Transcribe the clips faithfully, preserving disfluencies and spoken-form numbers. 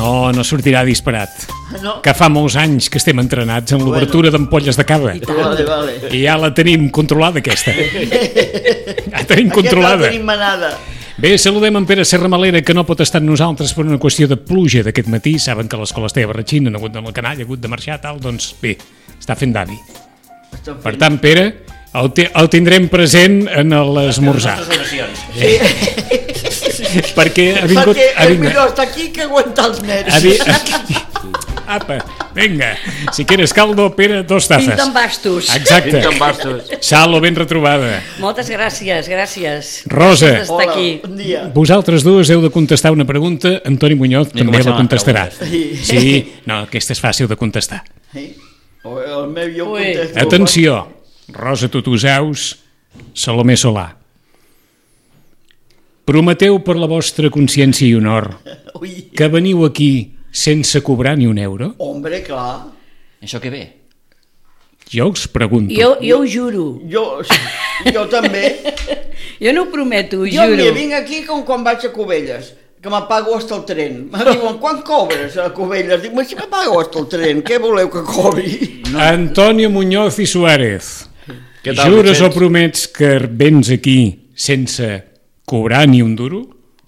No, no sortirà disparat. No? Que fa molts anys que estem entrenats en l'obertura bueno. d'ampolles de cava. Vale, vale. I ja la tenim controlada, aquesta. Ja tenim controlada. Aquesta la tenim manada. Bé, saludem en Pere Serramalera, que no pot estar amb nosaltres per una qüestió de pluja d'aquest matí. Saben que l'escola Esteve Barratxín han hagut de la canalla, ha hagut de marxar, tal, doncs bé, està fent d'avi. Per tant, Pere, el, te, el tindrem present en l'esmorzar. Sí. Perquè ha vingut... Perquè ha és vingut, millor estar aquí que aguantar els nervis. ha vi, apa, vinga, si quieres caldo, Pere, dos tazes. Pinta amb bastos. Exacte. Pinta amb bastos. Salo, ben retrobada. Moltes gràcies, gràcies. Rosa. Gràcies d'estar Hola, aquí. bon dia. Vosaltres dues heu de contestar una pregunta, Antoni Muñoz I també comencem la amb les contestarà. preguntes. Sí, no, aquesta és fàcil de contestar. Sí? O el meu jo Ui. contesto. Atenció, Rosa Tutusaus, Salomé Solà. Prometeu per la vostra consciència i honor Ui. que veniu aquí sense cobrar ni un euro? Hombre, clar. Això què ve? Jo us pregunto. Jo, jo ho juro. Jo, jo també. Jo no ho prometo, ho Jo juro. mira, vinc aquí com quan vaig a Cubelles, que m'apago hasta el tren. Me diuen, quan cobres a Cubelles? Dic, si m'apago hasta el tren, què voleu que cobri? No. Antonio Muñoz i Suárez. Què tal, Jures o Vicenç? promets que vens aquí sense cobrar ni un duro?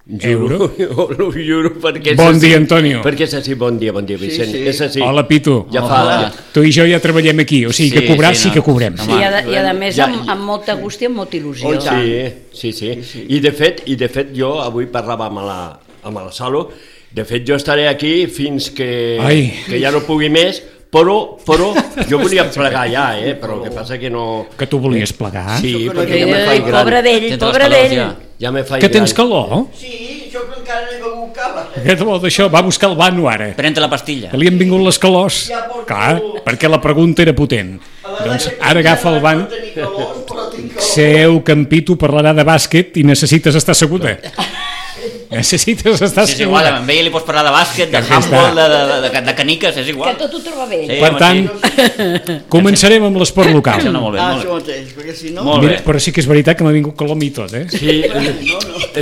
Euro? Juro, ho juro, perquè és Bon així. dia, Antonio. Perquè és així, bon dia, bon dia, Vicent. Sí, sí. És així. Hola, Pitu. Ja fa... Hola. Tu i jo ja treballem aquí, o sigui que Sí, cobrar sí, sí no. que cobrem. Home. Sí, i, a, i a més Ja- amb, amb molta gust i amb molta il·lusió. Oh, tant. Sí, sí, sí. I de fet, i de fet jo avui parlava amb la, amb la Salo, de fet jo estaré aquí fins que, Ai. que ja no pugui més, però, però jo volia plegar ja, eh? Però el que passa que no... Que tu volies plegar? Sí, Això que no perquè ja Ai, me faig gran. pobre d'ell, Tens pobre les calors d'ell. Ja, ja me faig Que tens gran. calor? Sí, jo que encara no he begut cava. Què te vol d'això? Va buscar el vano ara. Pren-te la pastilla. Que li han vingut les calors. Ja porto- Clar, perquè la pregunta era potent. Doncs ara agafa el van. No tenir calor, però tinc calor. Seu que en Pitu parlarà de bàsquet i necessites estar asseguda. Necessites estar Sí, és igual, asseguda. amb ell li pots parlar de bàsquet, de Ja handball, està. de, de, de, de caniques, és Que igual. tot ho troba bé. Sí, Per home, tant, sí. començarem amb l'esport Em local. sembla molt bé, Ah, molt això bé. mateix, perquè si no... Molt Mira, bé. però sí que és veritat que m'ha vingut calor a mi tot, eh? Sí,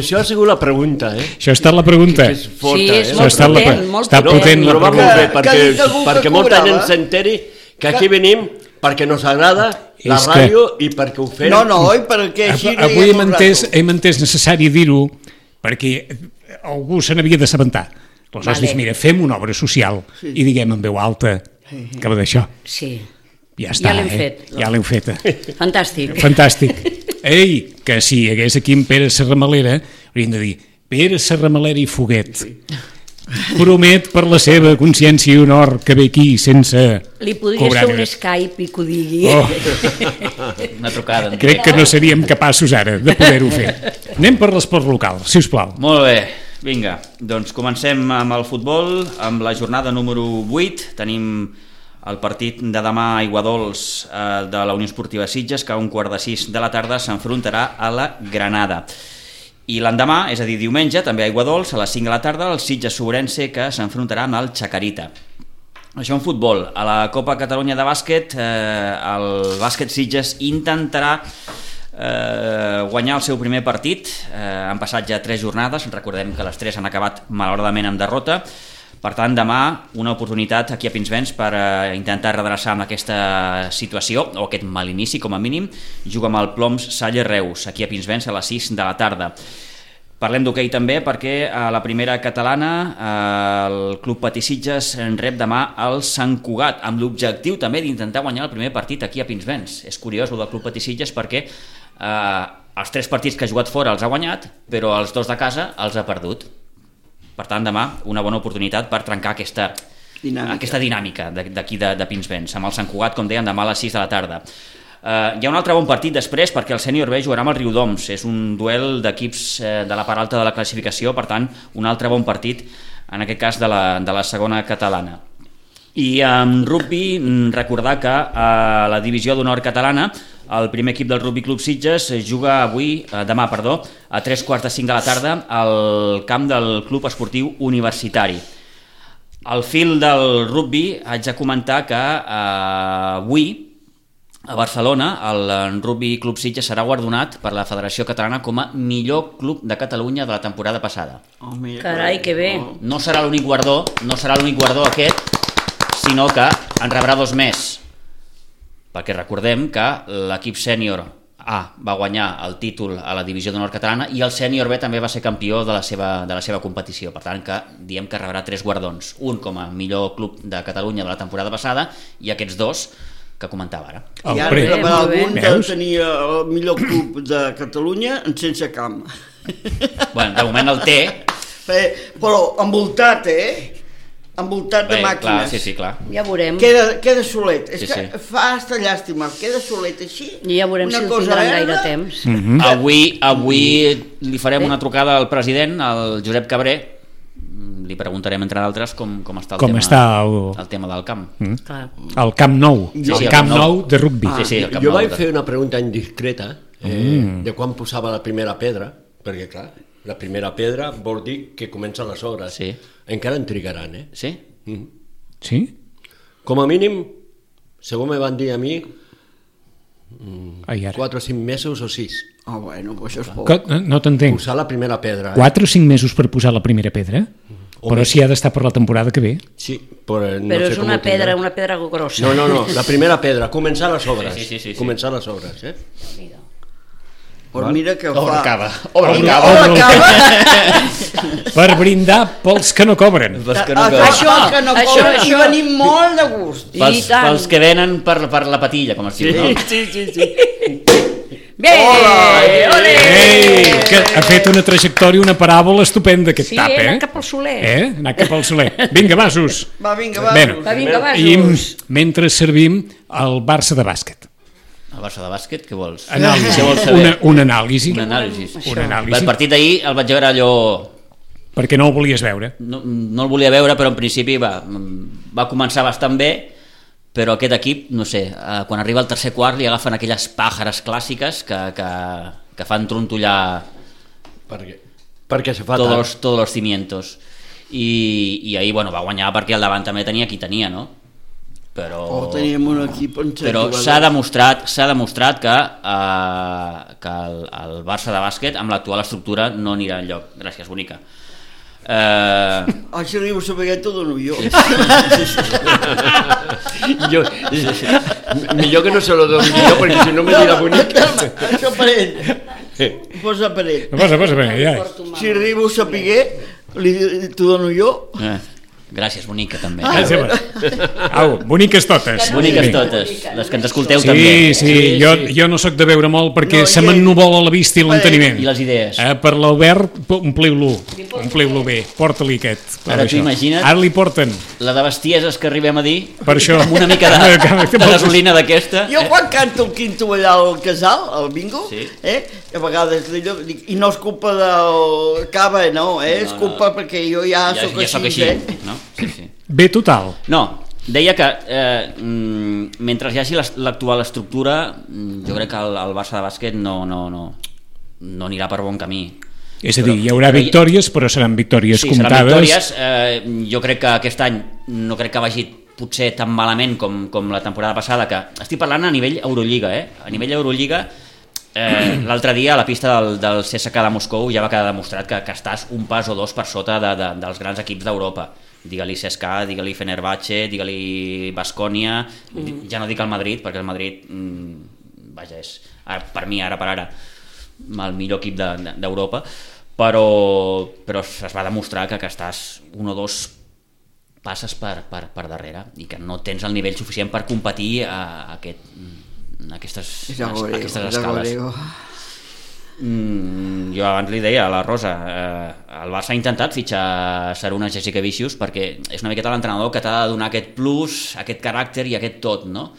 això ha sigut la pregunta, eh? Això ha estat la pregunta. Que és forta, Sí, és eh? Això molt està la- potent, molt està potent. potent la Però va pregunta. molt bé, Que- perquè, que ha dit algú que perquè molta cobrava. gent s'enteri que aquí venim perquè nos agrada la És que- ràdio i perquè ho fem. No, no, oi? Perquè així no Avui hi hem ha entès, rato. hem entès necessari dir-ho perquè algú se n'havia d'assabentar. Aleshores, Vale. vale. Mira, fem una obra social sí. i diguem en veu alta que va d'això. Sí, Ja està, Ja l'hem eh? fet. Ja l'hem feta. fantàstic. Fantàstic. Ei, que si hi hagués aquí en Pere Serramalera, hauríem de dir Pere Serramalera i Foguet. Promet per la seva consciència i honor que ve aquí sense Li podria cobrar fer un ni- Skype i que ho digui. Oh, Una trucada. crec que no seríem capaços ara de poder-ho fer. Anem per l'esport local, si us plau. Molt bé, vinga, doncs comencem amb el futbol, amb la jornada número vuit. Tenim el partit de demà a Aiguadols eh, de la Unió Esportiva Sitges, que a un quart de sis de la tarda s'enfrontarà a la Granada. I l'endemà, és a dir, diumenge, també a Aiguadols, a les cinc de la tarda, el Sitges-Ourense, que s'enfrontarà amb el Chacarita. Això en futbol. A la Copa Catalunya de bàsquet, eh, el bàsquet Sitges intentarà eh, guanyar el seu primer partit. Eh, han passat ja tres jornades, recordem que les tres han acabat malauradament amb derrota. Per tant, demà una oportunitat aquí a Pinsbens per eh, intentar redreçar amb aquesta situació, o aquest mal inici com a mínim. Juga amb el Ploms Salle Reus, aquí a Pinsbens a les sis de la tarda. Parlem d'hoquei també perquè a la primera catalana eh, el Club Patí Sitges en rep demà el Sant Cugat, amb l'objectiu també d'intentar guanyar el primer partit aquí a Pinsbens. És curiós el del Club Patí Sitges perquè eh, els tres partits que ha jugat fora els ha guanyat, però els dos de casa els ha perdut. Per tant, demà una bona oportunitat per trencar aquesta dinàmica, aquesta dinàmica d'aquí de, de Pinsbens, amb el Sant Cugat, com deien, demà a les sis de la tarda. Uh, hi ha un altre bon partit després perquè el Sènior B jugarà amb el Riudoms. És un duel d'equips eh, de la part alta de la classificació, per tant un altre bon partit en aquest cas de la, de la segona catalana. I en rugby recordar que a la divisió d'honor catalana el primer equip del Rugby Club Sitges juga avui, eh, demà perdó, a tres quarts de cinc de la tarda al camp del Club Esportiu Universitari. Al fil del rugby haig de comentar que eh, avui a Barcelona, el Rugby Club Sitges serà guardonat per la Federació Catalana com a millor club de Catalunya de la temporada passada. Oh, mira, Carai, que bé. Oh. No serà l'únic guardó, no serà l'únic guardó aquest, sinó que en rebrà dos més. Perquè recordem que l'equip sènior A va guanyar el títol a la divisió d'honor catalana i el sènior B també va ser campió de la seva, de la seva competició. Per tant, que diem que rebrà tres guardons. Un com a millor club de Catalunya de la temporada passada i aquests dos que comentava ara. I ara Alfred. rebrà Molt bé. algun de Veus? tenir el millor club de Catalunya sense camp. Bueno, de moment el té. Però envoltat, eh? Envoltat de Bé, màquines. clar, sí, sí, clar. Ja veurem. Queda, queda solet. És Sí, que sí. fa hasta llàstima. Queda solet així. I ja veurem una si el cosa tindran gaire verda. temps. Mhm. Avui, avui li farem una trucada al president, al Josep Cabré. Li preguntarem, entre d'altres, com, com està el Com tema, està el- el tema del camp. Clar. El Camp Nou, Sí, sí, el el Camp Camp Nou. Nou de rugby. Sí, sí, el Camp Jo Nou vaig de- fer una pregunta indiscreta eh, de quan posava la primera pedra, perquè clar, la primera pedra vol dir que comencen les obres. Sí. Encara en trigaran, eh? Sí? Mm. Sí? Com a mínim, segons me van dir a mi, Ai, ara. quatre o cinc mesos o sis. Ah, bueno, pues això és poc. Que- No, no t'entenc. Posar la primera pedra. Eh? Quatre o cinc mesos per posar la primera pedra? Home. Però si ha d'estar per la temporada que ve. Sí, però no Però sé és com una ho tindrà. pedra, una pedra grossa. No, no, no, la primera pedra, començar les obres. Sí, sí, sí, sí, sí. Començar les obres, eh? Pues mira que Obre fa... el cava. Obre el Obre cava. el cava. Per brindar pels que no cobren. Pels que no, Ah, que... Això, que no això, cobren, això. i venim molt de gust. I Pels, tant. pels que venen per, per la patilla, com es diu, no? Sí, sí, sí. Bé! Hola! Ole! Ei, que ha fet una trajectòria, una paràbola estupenda aquest Sí, tap, he eh? anat cap al Soler. Eh? Anat cap al Soler. Vinga, vasos. Va, vinga, va. Bueno, Va, vinga, I vasos. mentre servim el Barça de bàsquet. El Barça de bàsquet, què vols? Anàlisi. Què vols saber? Una, un anàlisi. Un anàlisi. Un El anàlisi. partit d'ahir el vaig veure allò... Perquè no ho volies veure. No, no el volia veure, però en principi va, va començar bastant bé, però aquest equip, no sé, eh, quan arriba al tercer quart li agafen aquelles pàjares clàssiques que, que, que fan trontollar Perquè, perquè se fa tots tard. los, todos los cimientos. I, i ahir bueno, va guanyar perquè al davant també tenia qui tenia, no? Però, Oh, teníem un equip en però s'ha demostrat, s'ha demostrat que, eh, que el, el Barça de bàsquet amb l'actual estructura no anirà enlloc. Gràcies, bonica. Eh, Ah, si arribo a saber t'ho dono jo. Jo, millor que no se lo dono jo, perquè si no me dirà bonic. Això per ell. Posa per ell. Posa, posa, bé, ja. Si arribo a saber, li- t'ho dono jo. eh, gràcies, bonica, també. Ah, sí, va. Au, boniques totes. Boniques Sí. totes, les que ens escolteu també. Sí, sí, jo, jo no sóc de veure molt perquè No, se i- m'ennuvola la vista i l'enteniment. I les idees. Eh, per l'Albert, ompliu-lo, ompliu-lo bé, porta-li aquest. per Ara tu això. imagina't- Ara li porten, La de bestieses que arribem a dir, per això. amb una mica de, de gasolina d'aquesta. Jo quan canto el quinto allà al casal, al bingo, Sí. eh, a vegades d'allò, dic, i no és culpa del cava, no, eh, és No, no. culpa perquè jo ja, Ja, sóc ja així, sóc així, eh. no? Sí, sí. Bé total. No, deia que eh, mm, mentre hi hagi l'est- l'actual estructura, mm, jo crec que el, el Barça de bàsquet no, no, no, no anirà per bon camí. És a dir, hi haurà però hi- victòries, però seran victòries Sí, comptades. seran victòries. Eh, jo crec que aquest any no crec que vagi potser tan malament com, com la temporada passada, que estic parlant a nivell Eurolliga, eh? A nivell Eurolliga, eh, l'altre dia a la pista del, del C S K de Moscou ja va quedar demostrat que, que estàs un pas o dos per sota de, de, dels grans equips d'Europa. Digue-li C S K A, digue-li Fenerbahce, digue-li Baskonia, mm. ja no dic el Madrid, perquè el Madrid, mm, vaja, és ara, per mi, ara per ara, el millor equip de- de- d'Europa, però, però es va demostrar que, que estàs un o dos passes per, per, per darrere i que no tens el nivell suficient per competir a, a, aquest, a aquestes, Ja ho a veureu, aquestes ja ho escales. veureu. Mm, jo abans li deia a la Rosa, eh, el Barça ha intentat fitxar Saruna Jasikevičius perquè és una miqueta l'entrenador que t'ha de donar aquest plus, aquest caràcter i aquest tot, no?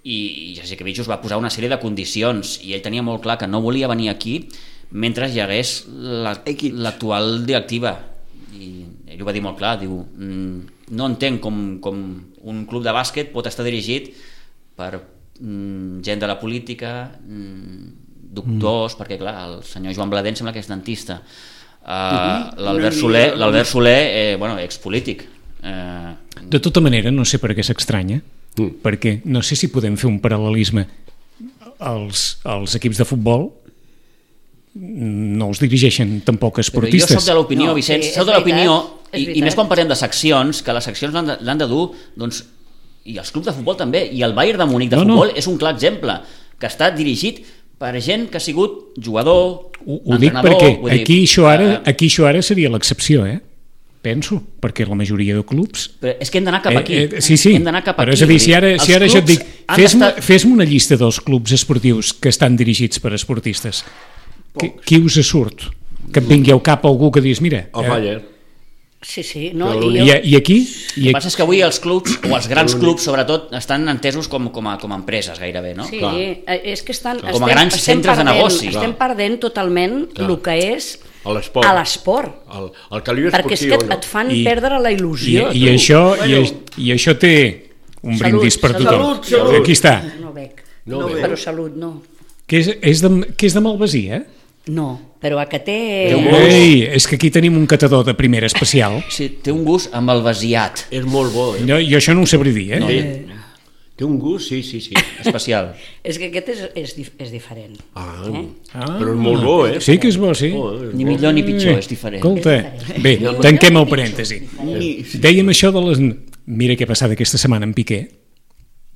I, i Jasikevičius va posar una sèrie de condicions i ell tenia molt clar que no volia venir aquí mentre hi hagués la- Equips. l'actual directiva, i ell ho va dir molt clar, diu, mm, no entenc com, com un club de bàsquet pot estar dirigit per mm, gent de la política, mm, doctors, mm. perquè clar, el senyor Joan Bladent sembla que és dentista, uh, l'Albert Una Soler, mica. l'Albert Soler eh, bueno, expolític. Eh, De tota manera, no sé per què s'estranya, mm. perquè no sé si podem fer un paral·lelisme. Els, els equips de futbol no els dirigeixen tampoc esportistes. Però jo soc de l'opinió, No, Vicenç, sí, soc és de l'opinió, veritat, és i, i veritat. més quan parlem de seccions, que les seccions l'han de, l'han de dur, doncs, i els clubs de futbol també, i el Bayern de Múnich de No, no. futbol és un clar exemple, que està dirigit per gent que ha sigut jugador, Ho, ho dic entrenador... perquè vull dir, aquí això, ara, eh, aquí això ara seria l'excepció, eh? Penso, perquè la majoria de clubs... Però és que hem d'anar cap aquí. Eh, eh, sí, sí, hem d'anar cap però aquí. és a dir, si ara, Els si ara jo et clubs dic, han fes-me d'estar- fes una llista dels clubs esportius que estan dirigits per esportistes. Qui, qui us surt? Que et vingui al cap algú que dius, mira... El eh, Bayern. Sí, sí, no, Però i i, jo, I aquí... El I que passa és que avui els clubs, o els grans clubs sobretot, estan entesos com, com, a, com a empreses gairebé, no? sí, Clar. eh, és que estan, Com a grans centres de perdent, negoci. estem Clar. perdent totalment Clar. el que és A l'esport. a l'esport. El, el caliu Perquè és esportiu. que et, et fan I- perdre la I, il·lusió. i, tu. això, i, Bueno. i això té un Salut, brindis per salut. tothom. Salut, salut. Aquí està. No bec, No No bec. bec. però salut no. Que és, és, de, que és de Malvasí, eh? No, però a que té... Té un gust. Ei, és que aquí tenim un catador de primera especial. Sí, té un gust amb el vasiat És molt bo, eh? Jo, jo això no ho sabré dir, eh? No. Sí. Té un gust, sí, sí, sí. especial. És que aquest és, és, dif- és diferent. Ah, Eh? Ah, però és molt bo, eh? sí que és bo, sí. Oh, és Ni bo. millor ni pitjor, és diferent. Escolta, bé, tanquem el parèntesi. Dèiem això de les... Mira què ha passat aquesta setmana amb Piqué.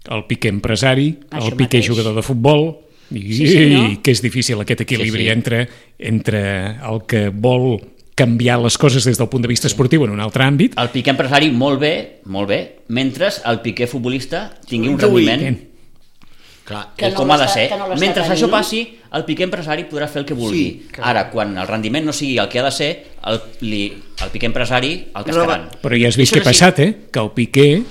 El Piqué empresari, Això el Piqué mateix. jugador de futbol, i, Sí, sí, no? i que és difícil aquest equilibri Sí, sí. Entre, entre el que vol canviar les coses des del punt de vista esportiu en un altre àmbit. El Piqué empresari molt bé, molt bé, mentre el Piqué futbolista tingui un Ui. rendiment Clar, Que no com ha de l'està- ser. que no l'està Mentre tenint. això passi, el Piqué empresari podrà fer el que vulgui. Sí, clar. Ara, quan el rendiment no sigui el que ha de ser, el, li, el Piqué empresari el cascaran. Però ja has vist Això què ha és així. passat, eh? Que el Piqué,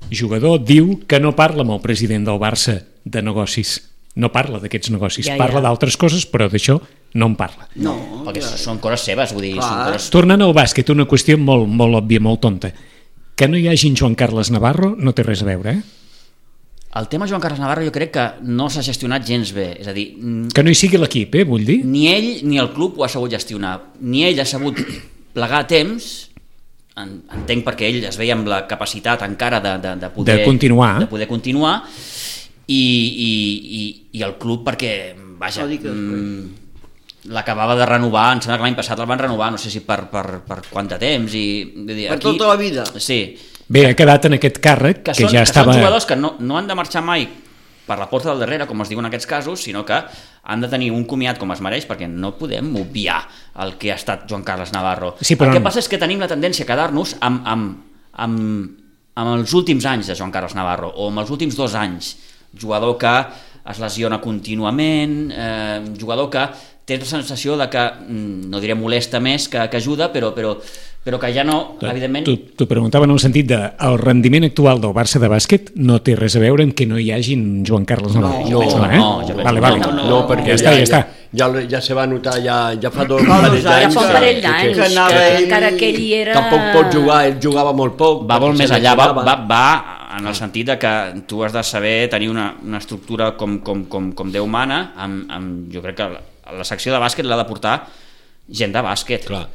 jugador, diu que no parla amb el president del Barça de negocis. No parla d'aquests negocis. Ja, ja. Parla d'altres coses, però d'això no en parla. No, Perquè clar. són coses seves, vull dir, Clar. són coses... Tornant al bàsquet, una qüestió molt, molt òbvia, molt tonta. Que no hi hagi en Joan Carles Navarro no té res a veure, eh? El tema Joan Carles Navarro jo crec que no s'ha gestionat gens bé. És a dir, mm, Que no hi sigui l'equip, eh, vull dir? ni ell ni el club ho ha sabut gestionar. Ni ell ha sabut plegar a temps, en- entenc perquè ell es veia amb la capacitat encara de, de, de, poder, De continuar. de poder continuar, i, i, i, i el club perquè, vaja, No digues, mm, l'acabava de renovar, em sembla que l'any passat el van renovar, no sé si per, per, per quant de temps, i vull dir, Per tota la vida. Sí, Bé, ha quedat en aquest càrrec que, que, són, ja que són estava... jugadors que no, no han de marxar mai per la porta del darrere, com es diu en aquests casos, sinó que han de tenir un comiat com es mereix, perquè no podem obviar el que ha estat Joan Carles Navarro. Sí, però el que no- passa és que tenim la tendència a quedar-nos amb, amb, amb, amb els últims anys de Joan Carles Navarro, o amb els últims dos anys. Jugador que es lesiona contínuament, eh, jugador que té la sensació de que, mm, no diré molesta més que, que ajuda, però, però, però que ja no, evidentment... T'ho preguntava en el sentit de el rendiment actual del Barça de bàsquet no té res a veure amb que no hi hagi en Joan Carles Navarro. jo penso que eh? no, jo penso vale, que vale. no, No, perquè ja, està, ja, està. Ja, ja, ja se va notar, ja, ja fa dos Fa dos parells anys Ja d'anys fa un que- parell que- d'anys, que que, anava que ell- encara que ell era... Tampoc pot jugar, ell jugava molt poc. Va molt perquè més se enllà, va, lesionava. va, va en el sentit de que tu has de saber tenir una, una estructura com, com, com, com Déu mana, amb, amb, jo crec que la, la secció de bàsquet l'ha de portar gent de bàsquet. Clar.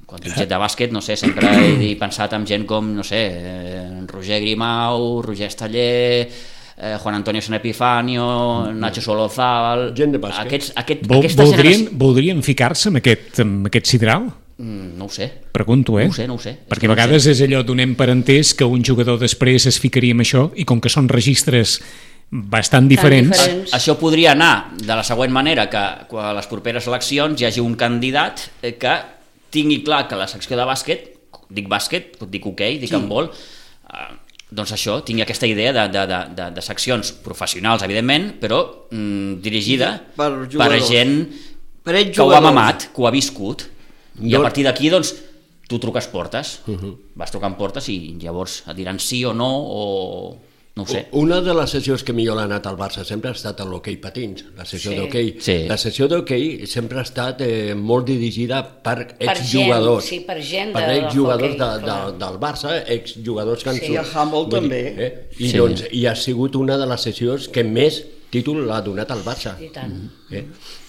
Quan dic gent de bàsquet, no sé, sempre he pensat en gent com, no sé, eh, Roger Grimau, Roger Esteller, eh, Juan Antonio San Epifanio, Nacho Solozábal... Gent de bàsquet. Aquests, aquest, Vol, aquesta voldrien, generació... voldrien ficar-se en aquest, en aquest sidral? Mm, no ho sé. Pregunto, eh? No ho sé, no ho sé. És Perquè que a no ho vegades és allò donem per entès que un jugador després es ficaria amb això i com que són registres bastant diferents, diferents. Això podria anar de la següent manera, que a les properes eleccions hi hagi un candidat eh, que tingui clar que la secció de bàsquet, dic bàsquet, dic hoquei, dic handbol, eh, doncs això, tingui aquesta idea de, de, de, de, de seccions professionals, evidentment, però mm, dirigida Per per jugadors. gent Per ells que ho ha jugadors. mamat, que ho ha viscut, i a Jo- partir d'aquí, doncs, tu truques portes, vas trucant portes i llavors et diran sí o no, o no ho sé. Una de les sessions que millor ha anat al Barça sempre ha estat l'hoquei patins, la sessió Sí. d'hoquei. Sí. La sessió d'hoquei sempre ha estat eh, molt dirigida per Per exjugadors. gent, sí, per gent per de- exjugadors d'hoquei, de, de, clar. del Barça, exjugadors que han Sí, surt- el handball vull dir, també. Eh? I, Sí. doncs, I ha sigut una de les sessions que més títol l'ha donat al Barça. I tant. Eh?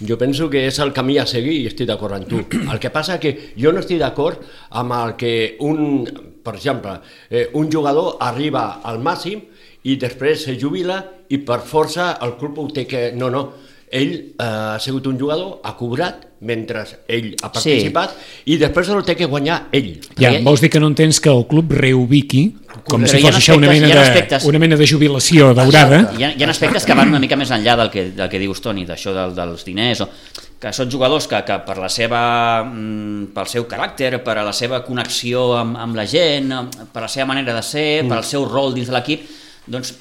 Jo penso que és el camí a seguir i estic d'acord amb tu. El que passa que jo no estic d'acord amb el que un, per exemple, eh, un jugador arriba al màxim i després se jubila i per força el club ho té que... No, no, ell eh, ha sigut un jugador, ha cobrat mentre ell ha participat sí. i després el té que guanyar ell. Ja, vols dir que no entens que el club reubiqui com Però si fos això una mena, de, una mena de jubilació daurada. Hi ha, hi ha aspectes que van una mica més enllà del que, del que dius, Toni, d'això del, dels diners, o que són jugadors que, que per la seva, pel seu caràcter, per a la seva connexió amb, amb la gent, per la seva manera de ser, mm. per al seu rol dins de l'equip, doncs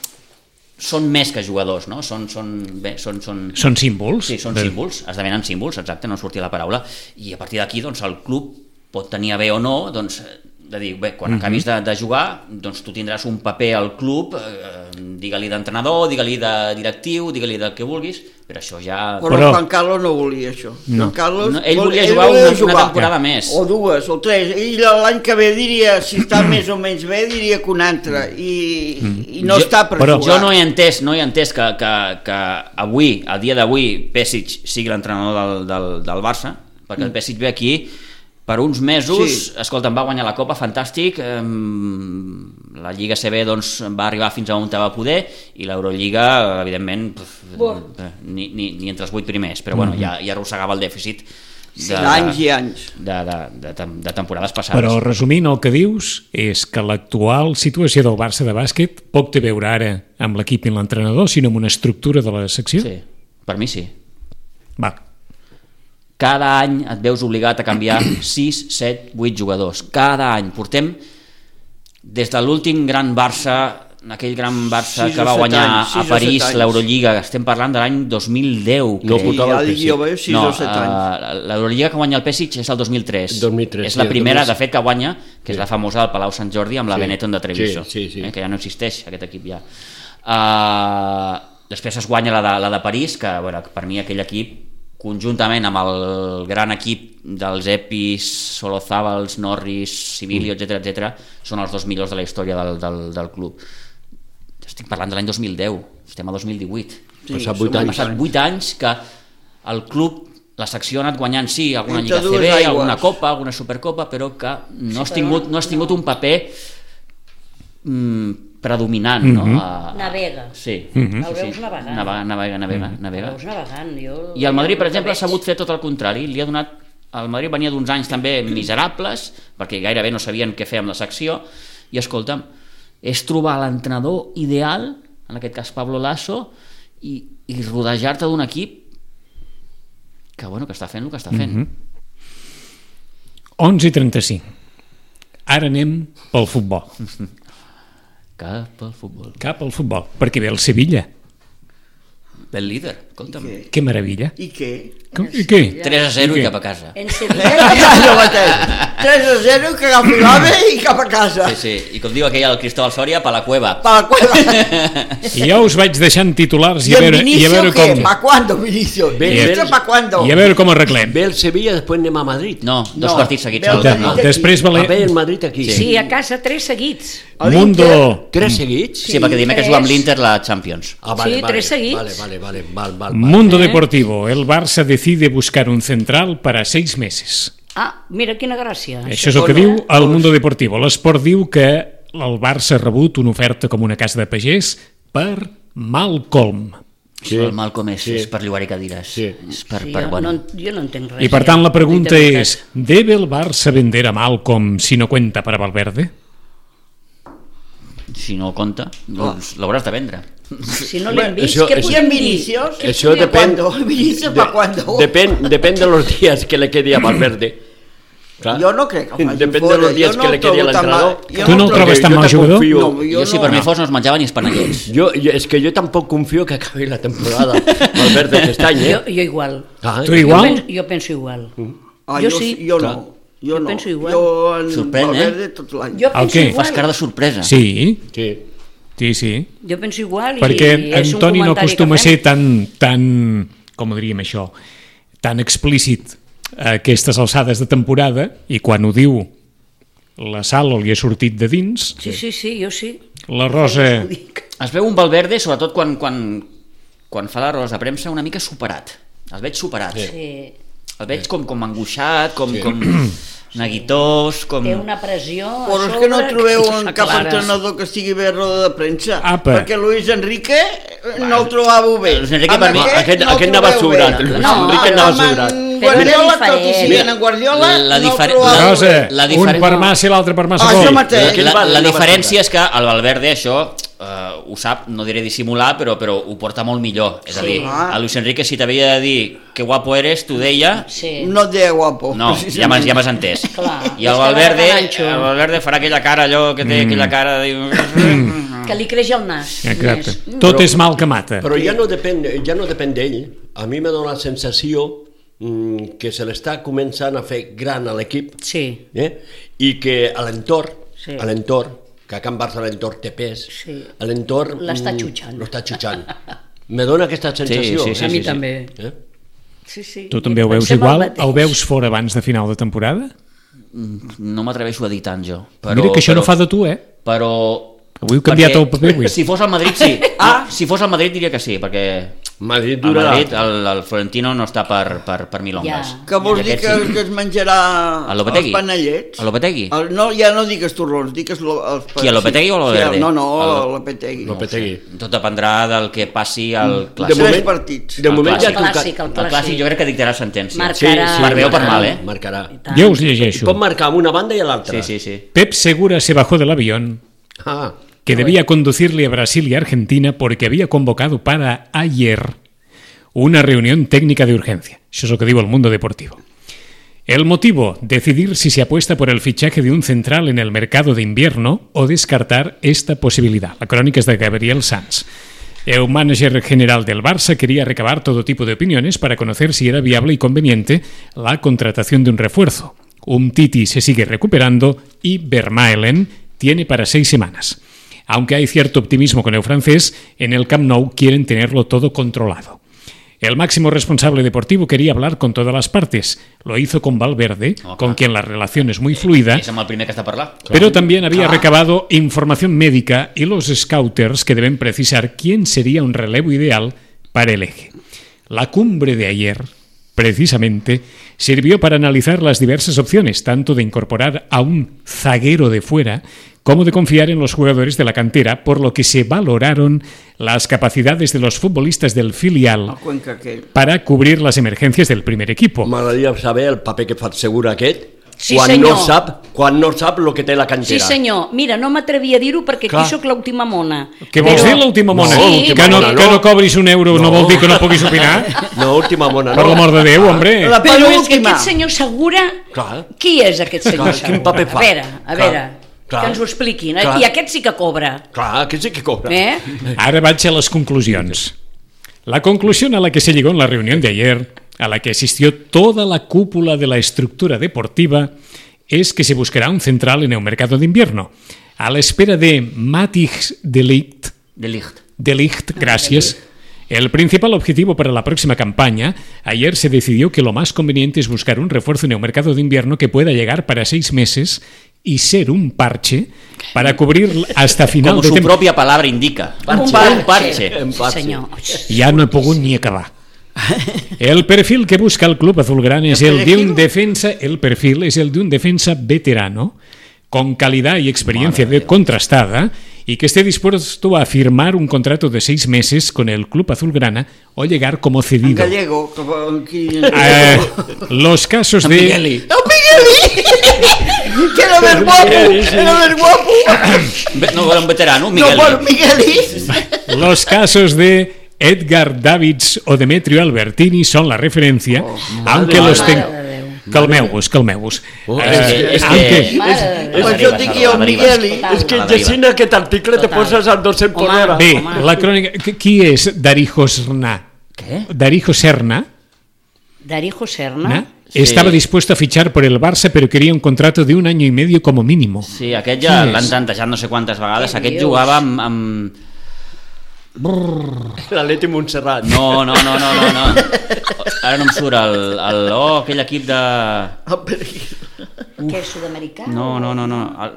són més que jugadors, no? Són, són, bé, són, són... són símbols. Sí, són de... símbols, esdevenen símbols, exacte, no sortia la paraula, i a partir d'aquí doncs, el club pot tenir a bé o no, doncs, de dir, bé, quan acabis de, de jugar, doncs tu tindràs un paper al club, eh, digue-li d'entrenador, digue-li de directiu, digue-li del que vulguis, però això ja... Però, però... Juan Carlos no volia això. No. Juan Carlos no, ell vol... volia ell jugar volia una, jugar. una temporada més. O dues, o tres. Ell l'any que ve diria, si està més o menys bé, diria que una altra. I, i no jo, està per però jugar. Jo no he entès, no he entès que, que, que avui, al dia d'avui, Pesic sigui l'entrenador del, del, del Barça, perquè el Pesic ve aquí per uns mesos, sí. Escolta, em va guanyar la Copa, fantàstic, eh, la Lliga C B doncs, va arribar fins a on va poder, i l'Eurolliga, evidentment, pf, ni, ni, ni entre els vuit primers, però bueno, ja, ja arrossegava el dèficit de, de, anys i anys. De, de, de, de, de temporades passades. Però resumint, el que dius és que l'actual situació del Barça de bàsquet poc té a veure ara amb l'equip i l'entrenador, sinó amb una estructura de la secció? Sí, per mi sí. Va. Cada any et veus obligat a canviar sis, set, vuit jugadors. Cada any. Portem des de l'últim gran Barça, aquell gran Barça que va guanyar anys, a París l'Eurolliga, estem parlant de l'any dos mil deu. No portava el Pesic. No, uh, l'Eurolliga que guanya el Pesic és el dos mil tres. dos mil tres és la sí, primera, dos mil... de fet, que guanya, que és sí. la famosa del Palau Sant Jordi amb la sí. Benetton de Treviso, sí, sí, sí. Eh, que ja no existeix, aquest equip ja. Uh, després es guanya la de, la de París, que bueno, per mi aquell equip conjuntament amb el gran equip dels Epis, Solozábals, Norris, Sibilio, mm. etcètera, etcètera, són els dos millors de la història del, del, del club. Estic parlant de l'any dos mil deu, estem a dos mil divuit. Sí, passat vuit anys. passat vuit anys que el club, la secció ha anat guanyant, sí, alguna Lliga C B, alguna Copa, alguna Supercopa, però que no has tingut, no has tingut un paper mm, predominant, mm -hmm. no? A, navega. Sí. Mm -hmm. El sí, veus sí. navegant. Navega, navega, navega, El navega. veus navegant. Jo... I el Madrid, per exemple, ha sabut fer tot el contrari. Li ha donat... El Madrid venia d'uns anys també miserables, perquè gairebé no sabien què fer amb la secció, i escolta'm, és trobar l'entrenador ideal, en aquest cas Pablo Lasso, i, i rodejar-te d'un equip que, bueno, que està fent el que està fent. Mm-hmm. onze i trenta-cinc. Ara anem pel futbol. Cap al futbol. Cap al futbol, perquè ve el Sevilla. Ve el líder, escolta'm. Què? Que meravella. I què? I què? tres a zero I i què? cap a casa. En Sevilla... Ja, mateix. tres a zero, que agafi l'ave i cap a casa. Sí, sí, i com diu aquell el Cristóbal Soria, pa la cueva. Pa la cueva. I ja us vaig deixant titulars i, I a en veure, i a Vinicio veure què? com... Pa cuando, Vinicio? Ve- Vinicio, ve- pa cuando? I a veure com arreglem. Ve el Sevilla, després anem a Madrid. No, dos No, partits seguits. ve el al- Madrid no. aquí. Després A valer... ver el Madrid aquí. Sí. Sí, a casa, tres seguits. A Mundo... l'Inter, Tres seguits? Sí, perquè dimecres tres. juga amb l'Inter la Champions. Ah, vale, Sí, vale, tres seguits. Vale, vale, vale, vale, vale, vale. Mundo Deportivo. El Barça decide buscar un central para seis meses. Ah, mira quina gràcia. Això és el que diu el Mundo Deportivo. L'Esport diu que el Barça ha rebut una oferta com una casa de pagès per Malcolm. Sí. El Malcolm és, Sí. és per llogar-hi cadires. Sí. És per, Sí, per, jo, bueno. no, jo no entenc res. I per ja. tant la pregunta De veritat. és: ¿debe el Barça vender a Malcolm si no cuenta para Valverde? Si no compta, doncs l'hauràs de vendre. Si no Bueno, l'hem vist, això- què això- I podem en dir? Vinicius? Això ¿Pa depèn... cuándo? ¿Vinicius pa cuándo? Depèn, depèn de los días que le quedi a Valverde. Clar. Jo no crec que el faci Depèn fora. de los días Jo no que le el quedi a trobo tan l'entrenador. mal. Jo Tu no el trobo- trobes tan Jo mal te jugador? confio. No, Jo, jo si no. per mi fos no es menjava ni espanellets. Jo, jo, és que jo tampoc confio que acabi la temporada Valverde aquest any, eh? Jo, jo igual. Ah, Tu igual? Jo penso, jo penso igual. Ah, Jo jo, sí. Jo Clar. no. Jo, Jo no. penso igual. Jo en Sorprèn, eh? Valverde tot l'any. Jo El penso què? igual. Fas cara de sorpresa. Sí, Sí. sí, sí. Jo penso igual Perquè i és un Antoni no comentari acostuma a que fem. ser tan, tan, com diríem això, tan explícit a aquestes alçades de temporada, i quan ho diu la Sala li ha sortit de dins, Sí, sí, sí, jo sí. la Rosa... Ho dic. Es veu un Valverde, sobretot quan, quan, quan fa la roda de premsa, una mica superat. El veig superat. Sí. El veig com, com angoixat, com... Sí. com... neguitós, com... Té una pressió a Però és sobre que no trobeu que un no cap s'aclares. entrenador que estigui bé a roda de premsa. Apa. Perquè Luis Enrique no el trobàveu bé. Luis Enrique Amb per mi- aquest- no el aquest anava trobeu sobrat, bé. Luis No, Enrique anava amb en sobrat. Guardiola, Però tot i era si diferent. en Guardiola, La no el difer- trobàveu Rosa, La un diferent- per massa i l'altre per massa Ah, gol. això mateix. Aquell La, va- la anava diferència sobrat. és que el Valverde això eh, ho sap, no diré dissimular, però, però ho porta molt millor. És a Sí. dir, a Luis Enrique si t'havia de dir que guapo eres, t'ho deia, Sí. No et deia guapo. no, ja m'has ja m'has entès. Clar, I és el que Valverde, va de ganxo. el Valverde farà aquella cara allò que té, aquella cara de... Que li creix el nas. Exacte. més. Tot és mal que mata. Però ja no depèn, ja no depèn d'ell. A mi m'ha donat la sensació mm, que se l'està començant a fer gran a l'equip, Sí, eh? I que a l'entorn, Sí. a l'entorn, que a Can Barça l'entorn té pes, Sí. a l'entorn... L'està mm, xutxant. L'està xutxant. Me dona aquesta sensació. sí, sí, a mi sí. també. Eh? Sí, sí. Tu també ho veus Pensem igual? mateix. El veus fora abans de final de temporada? No m'atreveixo a dir tant jo. Però, Mira que això però, no fa de tu, eh? Però... Avui heu canviat perquè el paper, avui. Si fos al Madrid, sí. Ah, si fos al Madrid diria que sí, perquè Madrid al durarà. Madrid el, el Florentino no està per, per, per milongas. Ja. Que vols I dir aquest que, sí. que es menjarà El Lopetegui? els panellets? El Lopetegui? El, no, ja no digues torrons, digues lo, els Qui, el Lopetegui o el sí, Valverde? No, no, El- el Lopetegui. Lopetegui. Tot dependrà del que passi al De clàssic. Tres moment, partits. de El moment ja clàssic. ha tocat. Clàssic, el El clàssic jo crec que dictarà sentència. Marcarà. Per bé o per mal, eh? Marcarà. I tant. Jo us llegeixo. Pot marcar amb una banda i a l'altra. Sí, sí, sí. Pep Segura se bajó del avión Ah, que debía conducirle a Brasil y Argentina porque había convocado para ayer una reunión técnica de urgencia. Eso es lo que digo el mundo deportivo. El motivo, decidir si se apuesta por el fichaje de un central en el mercado de invierno o descartar esta posibilidad. La crónica es de Gabriel Sanz. El manager general del Barça quería recabar todo tipo de opiniones para conocer si era viable y conveniente la contratación de un refuerzo. Umtiti se sigue recuperando y Vermaelen tiene para seis semanas. Aunque hay cierto optimismo con el francés, en el Camp Nou quieren tenerlo todo controlado. El máximo responsable deportivo quería hablar con todas las partes. Lo hizo con Valverde, Oh, con clar. quien la relación es muy fluida, És amb el primer que està parlant. pero también había recabado información médica y los scouters que deben precisar quién sería un relevo ideal para el eje. La cumbre de ayer, precisamente, sirvió para analizar las diversas opciones, tanto de incorporar a un zaguero de fuera como de confiar en los jugadores de la cantera, por lo que se valoraron las capacidades de los futbolistas del filial El Cuenca aquell. para cubrir las emergencias del primer equipo. m'agradaria saber el paper que fa Segura aquest Sí, quan, senyor. no sap, quan no sap el que té la Sí, cantera. senyor. Mira, no m'atrevia a dir-ho perquè Clar. aquí sóc l'última mona. Què vols Però- dir, l'última mona? Sí, que, no, mona, que no. no cobris un euro no, No. vol dir que no puguis opinar? No, última mona, Per no. l'amor de Déu, hombre. La Però és que penúltima. aquest senyor Segura... Clar. Qui és aquest senyor Clar, Segura? quin paper fa? A veure, a Clar, veure, clar. que ens ho expliquin. Clar. I aquest sí que cobra. Clar, aquest sí que cobra. Eh? Ahora vaig a las conclusiones. La conclusión a la que se llegó en la reunión de ayer, a la que asistió toda la cúpula de la estructura deportiva, es que se buscará un central en el mercado de invierno. A la espera de Matthijs de Ligt, De Ligt. de Ligt, gracias. El principal objetivo para la próxima campaña, ayer se decidió que lo más conveniente es buscar un refuerzo en el mercado de invierno que pueda llegar para seis meses y ser un parche para cubrir hasta final Com de su temporada. pròpia palabra indica. Un parche. parche. Un Sí, parche. senyor. Ya no he pogut ni acabar. El perfil que busca el club azulgrana es el de un defensa, el perfil es el de un defensa veterano con calidad y experiencia de contrastada y que esté dispuesto a firmar un contrato de seis meses con el club azulgrana o llegar como En cedido. gallego. Que, aquí... Eh, los casos de ¡El Migueli! Que era més guapo! Era més guapo! Ve- No, era un veterano, No, Miguel. bueno, Migueli! los casos de Edgar Davids o Demetrio Albertini son la referencia, aunque los Mare tengo. de Déu. Calmeu-vos, calmeu-vos. Oh, Eh, és que- és que- aunque- Mare de Déu. Pues jo dic jo, a la deriva. Migueli. És que A la deriva. llegint aquest article te Total. poses al dos cents per Home. hora. Bé, Home. la crònica... qui- Qui és Darijo Serna? Què? Darijo Serna Darijo Serna. ¿no? Sí. Estaba dispuesto a fichar por el Barça, pero quería un contrato de un año y medio como mínimo. Sí, aquest ja Qui és? l'han tantejat no sé quantes vegades. Què Aquest dius? jugava amb... amb... L'Atleti Montserrat. No, no, no, no, no, no. Ara no em surt el... el oh, aquell equip de... Què és sud-americà? No, no, no, no. El...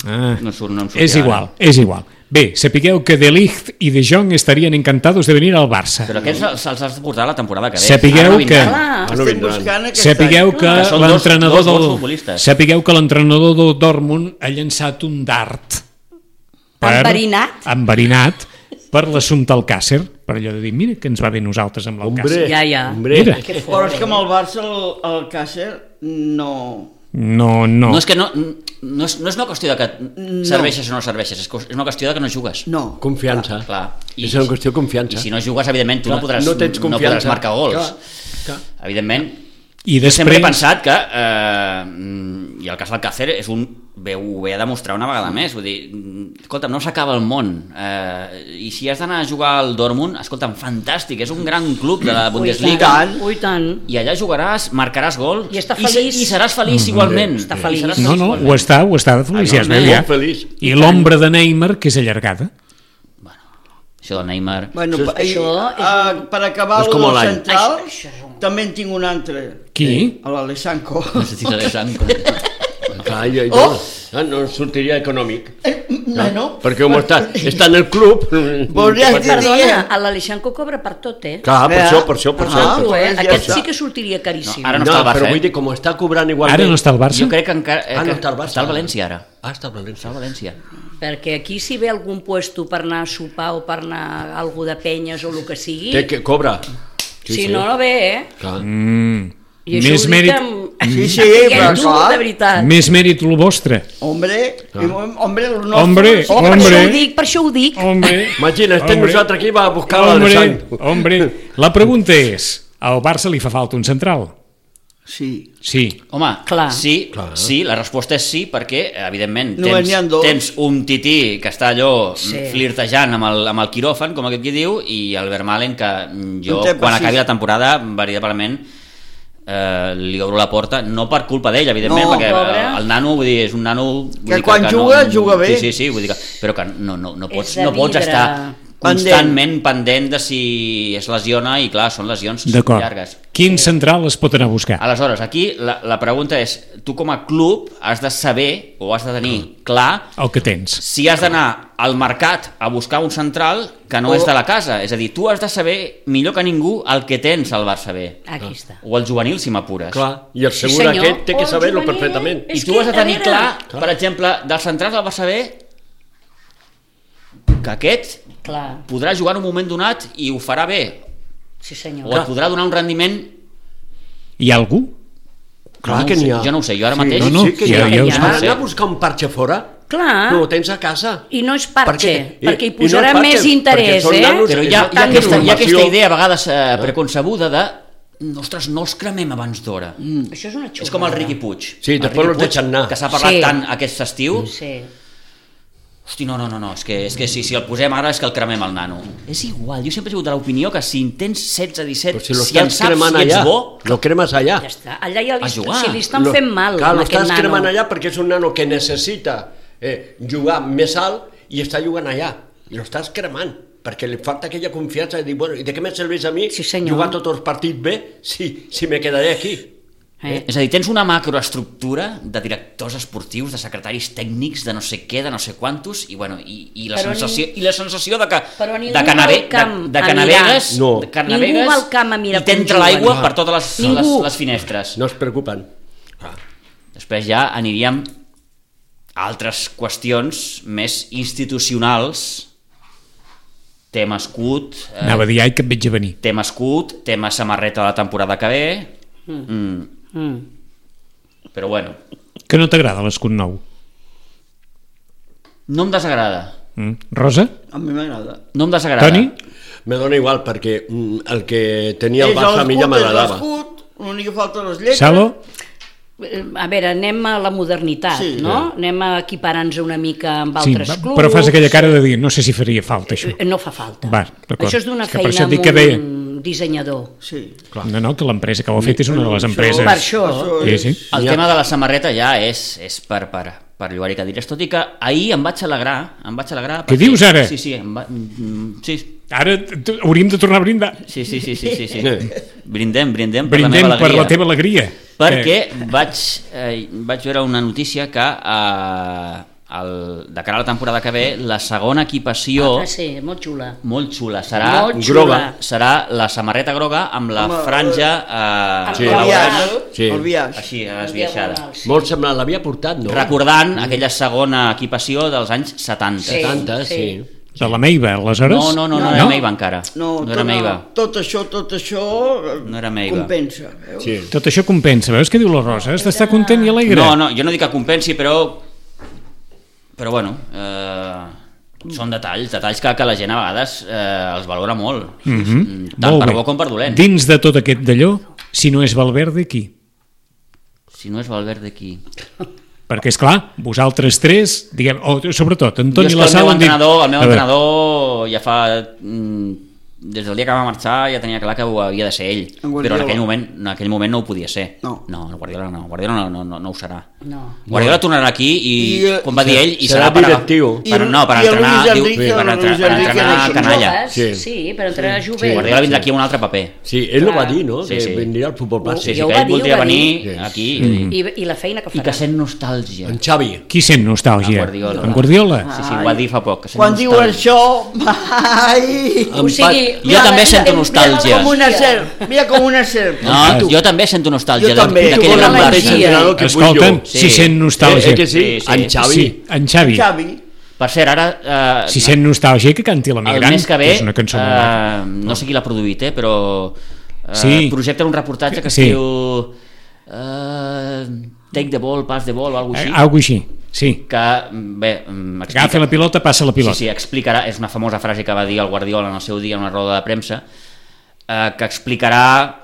Ah, No surt, no em surt. és ara. igual, és igual. Bé, sapigueu que De Ligt i De Jong estarien encantados de venir al Barça. Però aquests se'ls se'ls has de portar la temporada que ve. Sapigueu Ara no que- vindran. Clar. Ah, no Estem vindran. buscant aquest Sapigueu any. que Que són dos- l'entrenador dos bons del futbolistes. sapigueu que l'entrenador del Dortmund ha llançat un dart Enverinat? enverinat per l'assumpte Alcácer, per allò de dir, mira que ens va bé nosaltres amb l'Alcácer. Hombre, Ja, ja. hombre. Mira. Que Però és fort, que amb el Barça el, el Càcer no... No, no. No és que no, no, és, no és una qüestió de que serveixes o no serveixes, és, és una qüestió de que no jugues. No. Confiança. Clar. I, és una qüestió de confiança. I si no jugues, evidentment, tu Clar, no podràs, no tens no confiança. podràs marcar gols. Clar, clar. Evidentment, I jo sempre he després... pensat que, eh, i el cas del Càcer és un, ve, ho ve a demostrar una vegada més, vull dir, escolta'm, no s'acaba el món, eh, i si has d'anar a jugar al Dortmund, escolta'm, fantàstic, és un gran club de la Ui, Bundesliga, tant, ui, tant. i allà jugaràs, marcaràs gol, I està se- feliç. i seràs feliç igualment. Està I feliç. seràs No, no, igualment. ho està, ho està de feliç, ja es veu, Evidentment. ja. Molt feliç. I l'ombra de Neymar, que és allargada. Això del Neymar... Bueno, Això per, és- això és uh, un- per acabar és el com del l'any. central, Això- això és un- també en tinc un altre. Qui? A l'Alessanco. Necessita de sang. Clar, jo, jo, Oh! ah, no sortiria econòmic. Bueno, Perquè com està, està en el club... Voldries dir- Perdona, a l'Aleixanco cobra per tot, eh? Clar, per Eh? això, per això, per Ah, això. Tu, eh? ja Aquest està. sí que sortiria caríssim. No, ara no No, està al Barça, però eh? vull dir, com està cobrant igualment... Ara no està al Barça? Jo crec que encara... eh, Ah, no que està al Barça. Està al València, ara. Ah, està al València. Està al València. Perquè aquí si ve algun puesto per anar a sopar o per anar a algú de penyes o el que sigui, Té que cobra. si no, no ve, eh? Clar. Mm. I això Més ho dic mèrit, amb... Sí, sí, Diguem però tu, clar. de veritat. més mèrit el vostre. hombre, hombre, el nostre... Hombre, Oh, per hombre. això ho dic, per això ho dic. Hombre, Imagina, estem hombre, nosaltres aquí, va a buscar hombre, l'Alessandro. hombre. La pregunta és, al Barça li fa falta un central? Sí. Sí. Home, Clar. sí, Clar. sí, la resposta és sí, perquè, evidentment, Només n'hi ha tens, dos. tens un tití que està allò Sí. sí. flirtejant amb el, amb el quiròfan, com aquest qui diu, i el Vermaelen, que jo, No té quan precís. acabi la temporada, veritablement, eh, li obro la porta, no per culpa d'ell, evidentment, No, perquè pobre. eh, el nano, vull dir, és un nano... Vull Que dir quan juga, juga bé. Sí, sí, sí, vull dir que, però que no, no, no, pots, de no pots vidre. estar constantment pendent de si es lesiona, i clar, són lesions D'acord. llargues. Quin central es pot anar a buscar? Aleshores, aquí la, la pregunta és, tu com a club has de saber o has de tenir clar El que tens. si has d'anar al mercat a buscar un central que no O- és de la casa. És a dir, tu has de saber millor que ningú el que tens al Barça B. Aquí està. O el juvenil, si m'apures. Clar, i el Sí, segur senyor. aquest té que Oh, saber-ho juvenil. perfectament. I És tu que, has de a tenir veure- clar, per exemple, dels centrals del Barça B, que aquest Clar, podrà jugar en un moment donat i ho farà bé, sí o senyor. et podrà donar un rendiment... Hi ha algú? Clar no que ho sé, n'hi ha. jo no ho sé, jo ara Sí, mateix... no, no, sí que ja- n'hi ha. ja ho sé. Anar anar a buscar un parxe fora, Clar, no ho tens a casa. i no és parxe, Perquè- i- perquè hi i no és posarà parxe, més perquè interès, són eh? nanos- Però hi ha, hi ha, Tant aquesta, hi ha informació. aquesta idea a vegades eh, preconcebuda de ostres, no els cremem abans d'hora. Mm. Això és una xulada. És com el Riqui Puig. Sí, El després Riqui los Puig, deixen anar. que s'ha parlat Sí. tant aquest estiu. Sí. Hosti, no, no, no, no, és que, és que si, si el posem ara és que el cremem el nano. És igual, jo sempre he sigut de l'opinió que si en tens setze disset, Però si lo si en estàs saps cremant si ets allà, bo, lo cremes allà. Ja està. Allà ja li, A jugar. si li estan Lo- fent mal clar, amb lo aquest estàs nano. cremant allà perquè és un nano que necessita eh, jugar més alt i està jugant allà. I lo estàs cremant perquè li falta aquella confiança de dir, bueno, i de què me serveix a mi Sí, senyor. jugar tots els partits bé si, si me quedaré aquí? Eh? és a dir, tens una macroestructura de directors esportius, de secretaris tècnics, de no sé què, de no sé quantos, i, bueno, i, i, la, Però sensació, ning- i la sensació de que, Però ningú de que, va nave, al camp de, de a que mirar. navegues, No. de que Ningú navegues va al camp a mirar i com t'entra juguen. l'aigua per totes les, les, Ningú. les finestres. No es preocupen. Ah. Després ja aniríem a altres qüestions més institucionals, tema escut, eh, Anava a dir, ai, que et veig a venir. tema escut, tema samarreta de la temporada que ve, mm. Mm. però bueno, Que no t'agrada l'escut nou? no em desagrada, Mm. Rosa? A mi m'agrada. no em desagrada. Toni? Me dona igual perquè mm, el que tenia el És Barça a mi ja l'escut, és m'agradava. l'escut, l'únic que falta les lletres. Salo? Eh, A veure, anem a la modernitat, Sí. no? Anem a equiparar-nos una mica amb Sí, altres va- clubs. però fas aquella cara de dir, no sé si faria falta això. Eh, No fa falta. Va, d'acord. Això és d'una És que per feina això et dic amb que ve- un dissenyador. Sí. No, no, que l'empresa que ho ha fet és una de les Això- empreses. Per això. Sí, és- sí. El Ja. tema de la samarreta ja és, és per, per, per llogar-hi cadires, tot i que ahir em vaig alegrar, em vaig alegrar... Què perquè- dius ara? Sí, sí, em va, mm, sí, Ara t- hauríem de tornar a brindar. sí, sí, sí, sí, sí, sí. Brindem, brindem per Brindem la meva per alegria. la teva alegria. Perquè Eh, vaig, eh, vaig veure una notícia que eh, el, de cara a la temporada que ve, la segona equipació Ah, sí, molt xula. molt xula serà, Molt xula. groga, serà la samarreta groga amb la Amb el- franja eh, Sí. El blaugrana, biaix, Sí. el biaix. així, esbiaixada. Sí. Molt semblant, l'havia portat, no? Recordant aquella segona equipació dels anys setanta. Sí. setanta, sí. sí. De la Meiva, aleshores? No, no, no, no, No. era Meiva encara. No, no era Meiva. tot això, tot això No era Meiva. compensa. Veus? Sí. Tot això compensa. Veus què diu la Rosa? Has d'estar content i alegre. No, no, jo no dic que compensi, però... Però bueno, eh, són detalls, detalls que, que la gent a vegades eh, els valora molt. Mhm. Mm, tant Molt per bé. bo com per dolent. Dins de tot aquest d'allò, si no és Valverde, qui? Si no és Valverde, qui? Perquè, és clar, vosaltres tres, diguem, o sobretot, Jo Antoni és que La el meu Sala... han dit- entrenador, el meu A veure, entrenador ja fa... Mm, des del dia que va marxar ja tenia clar que ho havia de ser ell, En però Guardiola. en aquell moment, en aquell moment no ho podia ser. No. No, el Guardiola no, Guardiola no, no, no, no ho serà. No. Guardiola tornarà aquí i, I, eh, com va dir ell, i serà serà per, directiu. per, no, per I el entrenar, Luis diu, Enrique, per, el entre, Luis per Enrique entrenar no hi canalla. Joves, Sí. sí, per entrenar jovent. Guardiola vindrà aquí amb un altre paper. Sí, ell ho va Clar. dir, no? Sí, Que sí. vindria al futbol Sí, plàstic. sí, Ja ho que va ell dir, ho voldria va venir dir. aquí Mm. I, I la feina que i farà. que sent nostàlgia. En Xavi. Qui sent nostàlgia? En Guardiola. En Guardiola? Sí, sí, ho va dir fa poc. Que sent Quan diu nostàlgia. això, ai... O sigui, Jo també sento mira, nostàlgia. Com una serp, mira com una serp. No, jo també sento nostàlgia Jo també. de- d'aquell Tu gran vols el mateix Barça. entrenador que vull Escolta'm, jo. si Sí. sent nostàlgia... Eh, eh, que sí? Sí, sí. En Xavi. Sí, en Xavi. Xavi. Per cert, ara... Eh, Si sent nostàlgia, que canti el l'emigrant. mes que ve, És una cançó molt maca. eh, no sé qui l'ha produït, eh, però eh, Sí. projecten un reportatge que es Sí. diu eh, Take the ball, pass the ball o alguna Eh, així, Algo així, sí. que, bé, mm, explica... Agafa la pilota, passa la pilota. Sí, sí, explicarà, és una famosa frase que va dir el Guardiola en el seu dia en una roda de premsa, eh, que explicarà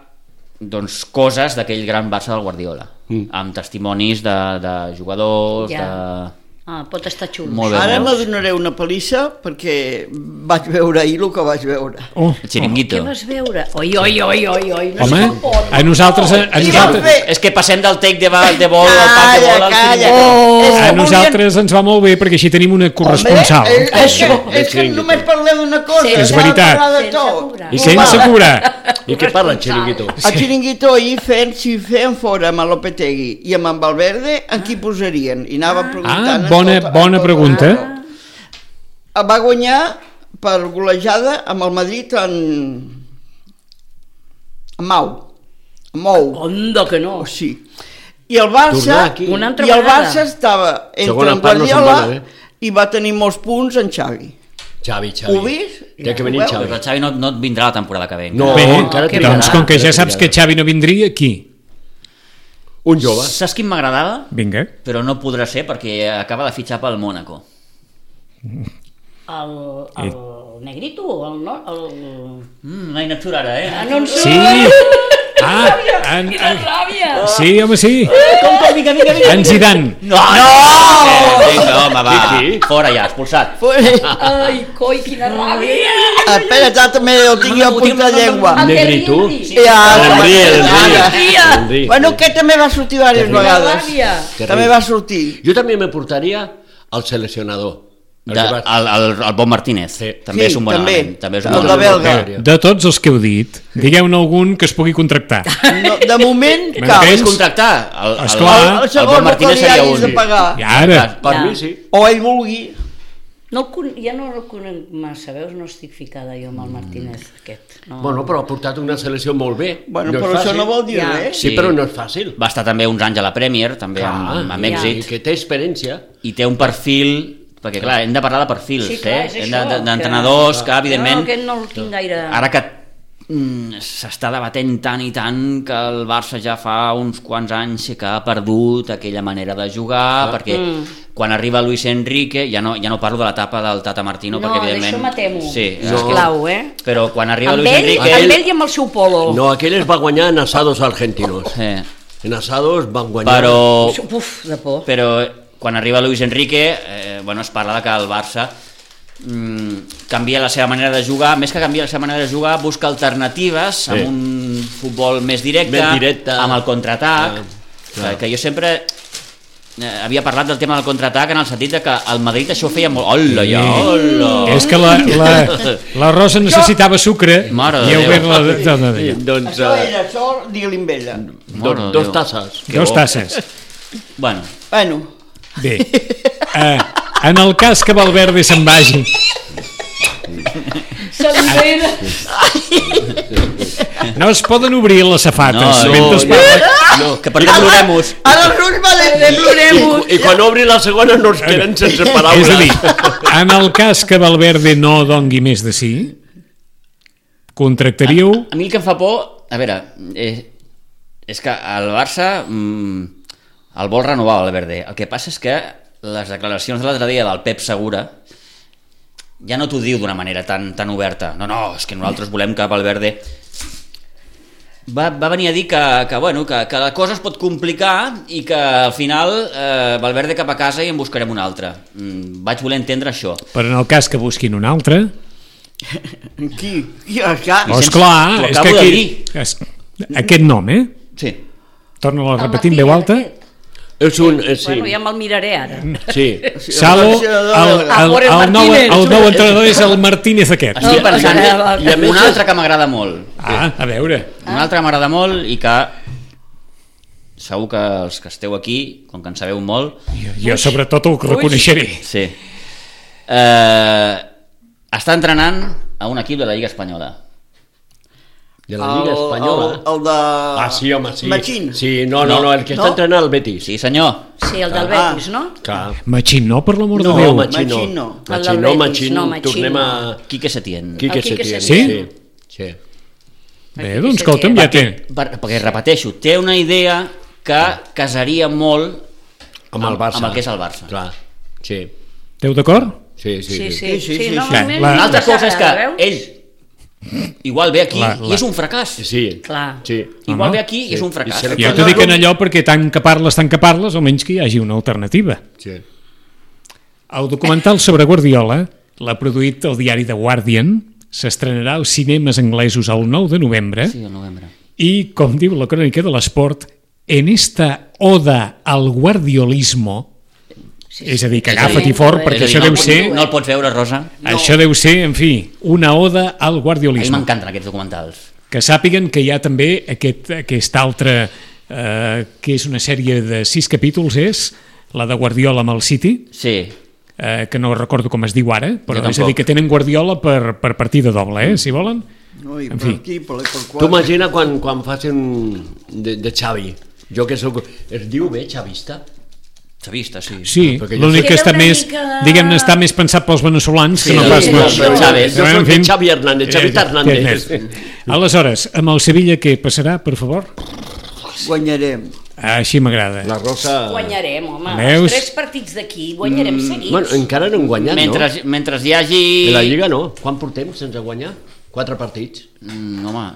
doncs, coses d'aquell gran Barça del Guardiola, mm. amb testimonis de, de jugadors, Ja. de... Ah, pot estar xulo. Molt bé. Ara veus? me donaré una palissa perquè vaig veure ahir el que vaig veure. Oh, El xiringuito. Què vas veure? Oi, oi, oi, oi, oi. No home, sé com pot. a nosaltres... A, a I nosaltres... vam fer- És que passem del take de, ball, de bol al pas de bol al Calla, xiringuito. calla. És A que nosaltres ens va molt bé perquè així tenim una corresponsal. Home, és, és, que, Això. és que només parlem d'una cosa. Sí, és s'ha de veritat. parlar de Sense tot. cobrar. I sense cobrar. I què parla el xiringuito? El xiringuito ahir fent, si feien fora amb el Lopetegui i amb en Valverde, en qui posarien? I anava preguntant... Ah, en bona, tota- bona en tota- pregunta. Va guanyar per golejada amb el Madrid en... en Mau. En Mou. Onda que no. O sí. I el Barça, Tornar aquí. Una altra i el vegada. Barça estava entre Segona en part no se'n Guardiola va bé. i va tenir molts punts en Xavi. Xavi, Xavi. Ho vist? Té que venir Ho veu? Xavi. Però el Xavi no, no et vindrà la temporada que ve. No, Bé, encara que trigarà. doncs com que ja encara saps que trigarà. Xavi no vindria, qui? Un jove. Saps quin m'agradava? Vinga. Però no podrà ser perquè acaba de fitxar pel Mónaco. El, el negrito, el... No, el... Mm, m'ha inactur ara, eh? Ah, no en sé. Sí! Ah, en, Quina en, ràbia! sí, home, sí. Com, com, vinga, vinga, vinga. En Zidane. No! No! Eh, vinga, home, va. Qui, qui? Fora ja, expulsat. Ai, coi, quina ràbia! Espera, ja també el tinc jo a punta de llengua. El Negrito. Henry. Ja, L'Henry, l'Henry. Tia. l'Henry. Bueno, aquest també va sortir diverses Quina vegades. ràbia! També va sortir. Jo també me portaria al seleccionador. El De, que va- el, el, el Bon Martínez. Sí. També Sí, és un bon també. element. També és un El bon de element. belga. De tots els que heu dit, digueu-ne algun que es pugui contractar. No, de moment, Me cap. Què és Tens- contractar? El, el, Esclar. El, el el segon Bon no Martínez que li seria hagis de un. pagar. I ara, Per Ja. mi sí. O ell vulgui. No el con... Ja no el conec massa, veus? No estic ficada jo amb el Martínez aquest. No. Bueno, però ha portat una selecció molt bé. Bueno, no és però això fàcil. no vol dir Ja. res. Sí, però no és fàcil. Va estar també uns anys a la Premier, també amb, Clar, amb i- èxit. i que té experiència. I té un perfil... Perquè, clar, hem de parlar de perfils, Sí, clar, eh? és Hem això, de- de- que- d'entrenadors que, evidentment, No, aquest no el tinc gaire... ara que mm, s'està debatent tant i tant que el Barça ja fa uns quants anys que ha perdut aquella manera de jugar, perquè Mm. quan arriba Luis Enrique, ja no, ja no parlo de l'etapa del Tata Martino, No, perquè evidentment... d'això m'atemo. Sí, És eh, clau, eh? però quan arriba Amb Luis ell, Enrique... amb ell i amb el seu polo. No, aquell es va guanyar en asados argentinos. Eh, En asados van guanyar... però, Uf, de por. però quan arriba Luis Enrique, eh, bueno, es parla de que el Barça mm, canvia la seva manera de jugar, més que canvia la seva manera de jugar, busca alternatives Sí. amb un futbol més directe, Més directe. amb el contraatac, Ah, que, clar. que jo sempre eh, havia parlat del tema del contraatac en el sentit de que el Madrid això ho feia molt... Hola, ja, hola! és que la, la, la Rosa necessitava sucre Mare de i heu Déu. vist la... de- de- de- Doncs Això eh, era això, digue-li amb ella. Mare de do, dos Déu. tasses. Que Dos bo. tasses. Bueno, Bueno, Bé, eh, en el cas que Valverde se'n vagi... S'entén. No es poden obrir les safates. No, mentre es parla. No, que per què plorem-vos? Ara els ulls valents, plorem-vos. I quan obri la segona no es queden sense paraules. És a dir, en el cas que Valverde no dongui més de sí, contractaríeu... A, a mi el que em fa por, a veure, eh, és que el Barça mm, el vol renovar el Valverde. El que passa és que les declaracions de l'altre dia del Pep Segura ja no t'ho diu d'una manera tan, tan oberta. No, no, és que nosaltres volem que Valverde... Va, va venir a dir que, que, bueno, que, que la cosa es pot complicar i que al final eh, Valverde cap a casa i en buscarem un altre. Mm, vaig voler entendre això. Però en el cas que busquin un altre... Qui? Qui? Acá? Oh, esclar, T'ho és acabo que de aquí... dir. És, aquest nom, eh? Sí. Torna-lo a repetir en veu alta. És un... Eh, sí. Bueno, ja me'l miraré ara. Sí. Salo, el, el, el, el, nou, el nou entrenador és el Martínez aquest. Estic No, pensant perquè- i a més un altre que m'agrada molt. Ah, a veure. Un altre que m'agrada molt i que segur que els que esteu aquí, com que en sabeu molt, Jo sobretot ho reconeixeré. sí. Eh, està entrenant a un equip de la Lliga Espanyola. De la Lliga Espanyola. El, el de... Ah, sí, home, sí. Machín. Sí, no, no, no, el que està No? entrenant el Betis. Sí, senyor. Sí, el del Ah. Betis, no? Clar. Machín, no, per l'amor No, de Déu. Machín no. Machín no. El Machín del no, Betis, Machín, no, Machín tornem a... Quique Setién. Quique El Quique Setién. Setién. Sí? Sí. Bé, doncs escolta'm, ja té... Per, perquè, repeteixo, té una idea que casaria molt Amb el Barça. amb el que és el Barça. Clar, sí. Esteu d'acord? Sí, sí, Sí, sí. sí, sí, sí, sí, no, sí. a mi La- Una altra m'agrada, cosa és que veus? ell igual ve aquí La- i la- és un fracàs. Sí. Clar. Sí. Igual Home, ve aquí i és un fracàs. I se- Jo t'ho dic en allò perquè tant que parles, tant que parles, almenys que hi hagi una alternativa. Sí. El documental sobre Guardiola l'ha produït el diari The Guardian, s'estrenarà als cinemes anglesos el nou de novembre Sí, el novembre. i, com diu la crònica de l'esport, en esta oda al guardiolismo, Sí, és a dir, que sí. agafa't-hi fort, És a perquè És a dir, això no, deu el ser... pots- no el pots veure, Rosa. No. Això deu ser, en fi, una oda al A mi guardiolisme. m'encanten aquests documentals. Que sàpiguen que hi ha també aquest, aquest altre, eh, que és una sèrie de sis capítols, és la de Guardiola amb el City, Sí. eh, que no recordo com es diu ara, però Jo és a dir, tampoc. que tenen Guardiola per, per partida doble, eh, si volen. No, i En per fi. aquí, per, per Tu quatre. imagina quan, quan facin de, de Xavi. Jo que soc... Es diu bé xavista? S'ha vist, sí. Sí, perquè jo l'únic sé- que està Queda una més, mica- diguem-ne, està més pensat pels veneçolans que no sí, pas... sí, no. sí, però Chávez, jo En soc fi. de Xavi Hernández, Xavita Eh, Hernández. eh, Aleshores, amb el Sevilla què passarà, per favor? Guanyarem. Ah, així m'agrada. La Rosa... Guanyarem, home. Veus? Els tres partits d'aquí guanyarem seguits. Bueno, encara no hem guanyat, Mentre, no? mentre hi hagi... En la Lliga no. Quan portem sense guanyar? Quatre partits. Mm, home,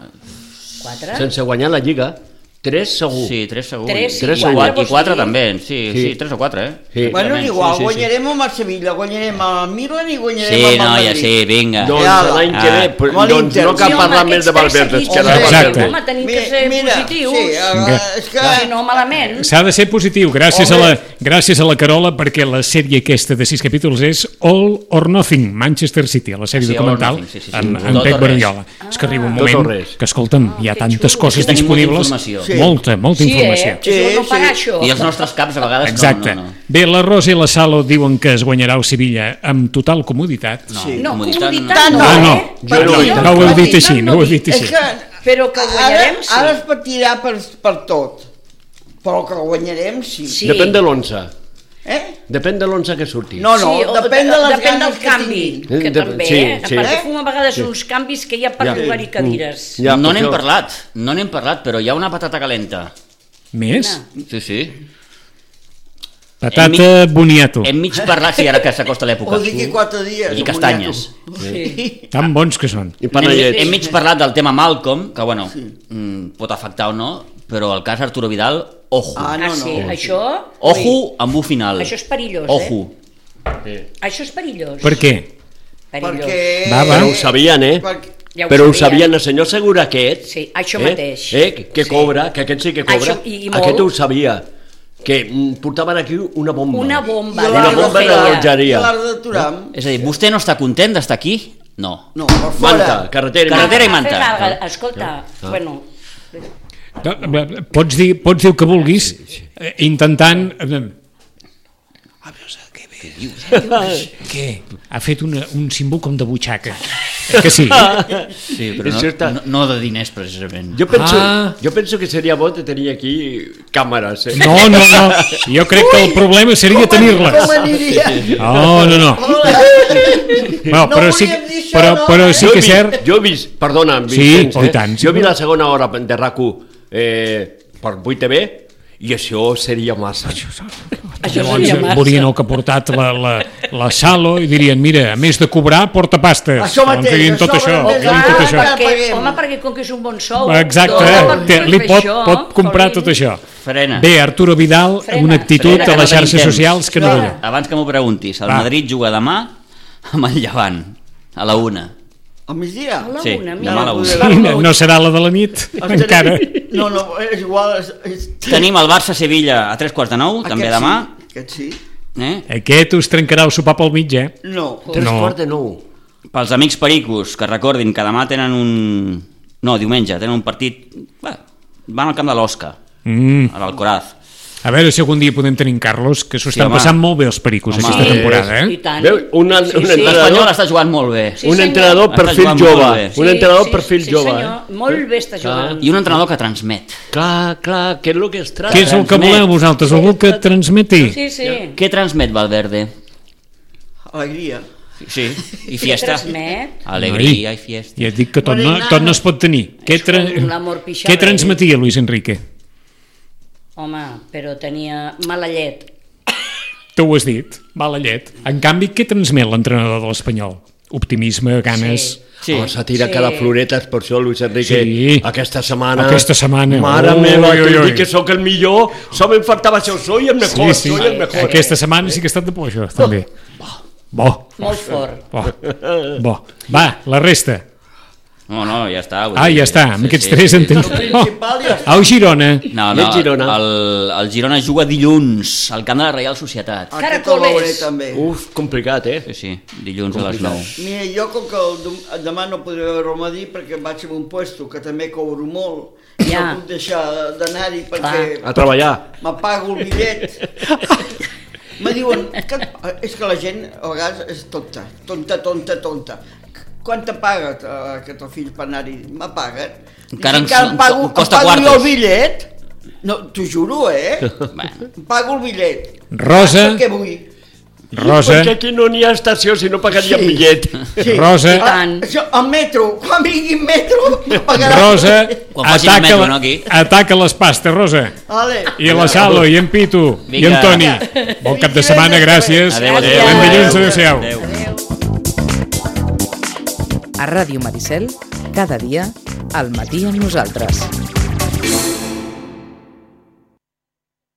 Quatre? Sense guanyar la Lliga. Tres segur. sí, tres segur. Tres i Tres I quatre, quatre, vols i quatre dir? també, sí, sí, Sí. tres o quatre, eh? Sí. Bueno, és igual, sí, sí, sí. guanyarem amb el Sevilla, guanyarem amb el Milan i guanyarem Sí, amb el noia, Madrid. sí, vinga. Doncs Ja, l'any que ah, ve, però, amb doncs l'Inter. no cal Sí, home, parlar més de aquests tres Valverde, és que seguits. ara Exacte. Home, tenim que ser positius. Sí, eh, Vinga. és que... Si no, malament. S'ha de ser positiu, gràcies a, Home. la, gràcies a la Carola, perquè la sèrie aquesta de sis capítols és All or Nothing, Manchester City, la sèrie Sí, All or documental Nothing, sí, sí, sí. amb, Tot amb o Pep res. Guardiola. És que arriba un Tot o moment res. que, escolta'm, hi ha que tantes xulo. coses Que tenim molta disponibles, informació. Sí. molta, molta Sí, informació. eh? Això no Sí, pagar, sí. això. I els nostres caps a vegades Exacte. no, no, no. Bé, la Rosa i la Salo diuen que es guanyarà el Sevilla amb total comoditat. No, Sí. No, comoditat, comoditat no, Ah, no. eh? Jo no, Perquè no ho heu dit comoditat així, no ho heu dic. dit així. És que Però que guanyarem, ara, sí. ara es patirà per, per tot, però que guanyarem sí. Sí. Depèn de l'onze. Eh? Depèn de l'onze que surti. No, no, Sí, o depèn de les depèn ganes del que canvi, tinguin. que De- també, sí, eh? sí. Perquè Eh? fum a vegades uns canvis que hi ha per Ja. llogar-hi cadires. Ja, no per n'hem això- parlat, no n'hem parlat, però hi ha una patata calenta. Més? Sí, sí. Patata boniato. Hem mig parlat, sí, ara que s'acosta l'època. O d'aquí quatre dies. I castanyes. Sí. Tan bons que són. I Hem, panellets. hem mig parlat del tema Malcolm, que bueno, mm, pot afectar o no, però el cas Arturo Vidal, ojo. Ah, no, Ah, no. sí, això... Ojo amb un final. Això és perillós, eh? Ojo. Això és perillós. Per què? Perillós. Perquè... Va, va. Però ho sabien, eh? Perquè... Ja ho Però ho sabien. sabien, el senyor Segura aquest, Sí, això eh? mateix. Eh? Que Sí. cobra, que aquest sí que cobra, Això, i- i molt. aquest ho sabia, que mm, portaven aquí una bomba. Una bomba. I de Una l'art no bomba de feia. l'allotgeria. I l'art de Turam. És a dir, vostè no està content d'estar aquí? No. No, per fora. Manta, carretera i Carretera i Manta. manta. Fer vaga, escolta, bueno, No, Pots dir, pots dir el que vulguis, eh, intentant... eh, A veure, què ve? Què dius? Què? Ha fet una, un símbol com de butxaca. Eh que sí? Sí, però És no, certa. no, no de diners, precisament. Jo penso, Ah. jo penso que seria bo de tenir aquí càmeres. Eh? No, no, no. Jo crec que el problema seria Com tenir-les. aniria? No, no, no. No, No però sí, volíem dir això, però, no? però sí Jo he que és vist- cert. Jo he vist, perdona, Sí, Vicenç, oh, i eh? tant, sí, jo he vist però- la segona hora de RAC u eh, per vuit T V i això seria massa. Això Llavors seria massa. veurien el que ha portat la, la, la Salo i dirien, mira, a més de cobrar, porta pastes. Això mateix, Llavors dirien això tot això. mateix. dirien Clar, tot això. perquè, Paguem. home, perquè com que és un bon sou... Exacte, dona per té- li fer pot, això, pot comprar Colin. tot això. Frena. Bé, Arturo Vidal, Frena. una actitud Frena, que a no les tenim xarxes temps. socials que no Clar. veurà. Abans que m'ho preguntis, el Va. Madrid juga demà amb el Llevant, a la una. Al migdia? A la Sí, una, demà mira. a la una. Sí. No, no serà la de la nit, Estaré- encara. No, no, és igual. És, és... Tenim el Barça-Sevilla a tres quarts de nou, també Aquest demà. Sí, aquest sí. Eh? Aquest us trencarà el sopar pel mig, eh? No. Tres No. quarts de nou. Pels amics pericos, que recordin que demà tenen un... No, diumenge, tenen un partit... Bé, van al camp de l'Osca, Mm. a l'Alcoraz. A veure si algun dia podem tenir en Carlos, que s'ho Sí, estan home. passant molt bé els pericos Home, aquesta sí, temporada, I eh? tant. Veu, una- sí, un sí. entrenador- L'Espanyol està jugant molt bé. Sí, un senyor. entrenador Està perfil jugant molt jove. bé. Un entrenador sí, perfil sí, jove. senyor. Eh? Molt bé està jugant. I un entrenador que transmet. Clar, clar, què és el que es tracta? Què és el que transmet. voleu vosaltres? Algú que transmeti? Sí, sí. Què transmet Valverde? Alegria. Sí, i fiesta. Transmet? Alegria i fiesta. Ja et dic que tot no, tot no es pot tenir. Què, tra com l'amor pixarra. què transmetia Luis Enrique? Home, però tenia mala llet. Tu ho has dit, mala llet. En canvi, què transmet l'entrenador de l'Espanyol? Optimisme, ganes... Sí. Sí. Home, s'ha tirat Sí. cada floretes, per això Luis Enrique Sí. aquesta setmana... Aquesta setmana. Mare Ui, meva, ui, que ui. dic que sóc el millor, só me faltava això, soy el mejor, Sí, sí. soy el mejor. Aquesta setmana sí que ha estat de por, això, també. Bo, Molt fort. bo, bo. Va, la resta. No, no, ja està. vull Ah, dir, ja està, amb sí, aquests sí, tres sí. en tens... El principal ja està. Au, Girona. No, I no, el Girona? el, el Girona juga dilluns al camp de la Reial Societat. Aquest el veuré Caracoles. també. Uf, complicat, eh? Sí, sí, dilluns a les nou. Mira, jo com que el, dom- demà no podré veure el Madí perquè vaig a un puesto que també cobro molt, Ja. no puc deixar d'anar-hi perquè A treballar. m'apago el bitllet. Me diuen que és que la gent a vegades és tonta, tonta, tonta, tonta. Quant te paga eh, aquest el fill per anar-hi? M'apaguen. Encara I ens- que em pago, ens costa em pago jo quartos. el bitllet. No, t'ho juro, eh? Bueno, Em pago el bitllet. Rosa, Què vull? Rosa, Perquè aquí no n'hi ha estació si no pagaria Sí. bitllet. Sí. Rosa. I tant. Ah, això, el metro, quan vingui el metro, em pagaran. Rosa, Quan facin el ataca, metro, no, aquí? ataca les pastes, Rosa. Vale. I la Salo, i en Pitu, i en Vinga. Toni. Bon cap de setmana, gràcies. Adéu, adéu. Fins dilluns, adéu-siau. Adéu. A Ràdio Maricel, cada dia, al matí amb nosaltres.